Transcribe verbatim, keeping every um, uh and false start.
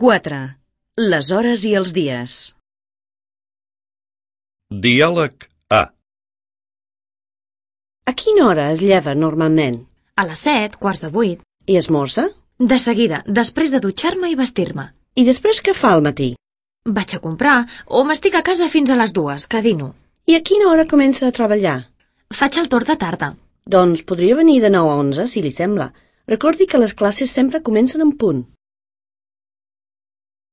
quatre. Les hores i els dies. Diàleg A. A quina hora es lleva normalment? A les set, quarts de vuit. I esmorza? De seguida, després de dutxar-me i vestir-me. I després què fa al matí? Vaig a comprar o m'estic a casa fins a les dues, que dino. I a quina hora comença a treballar? Faig el torn de tarda. Doncs podria venir de nou a onze, si li sembla. Recordi que les classes sempre comencen en punt.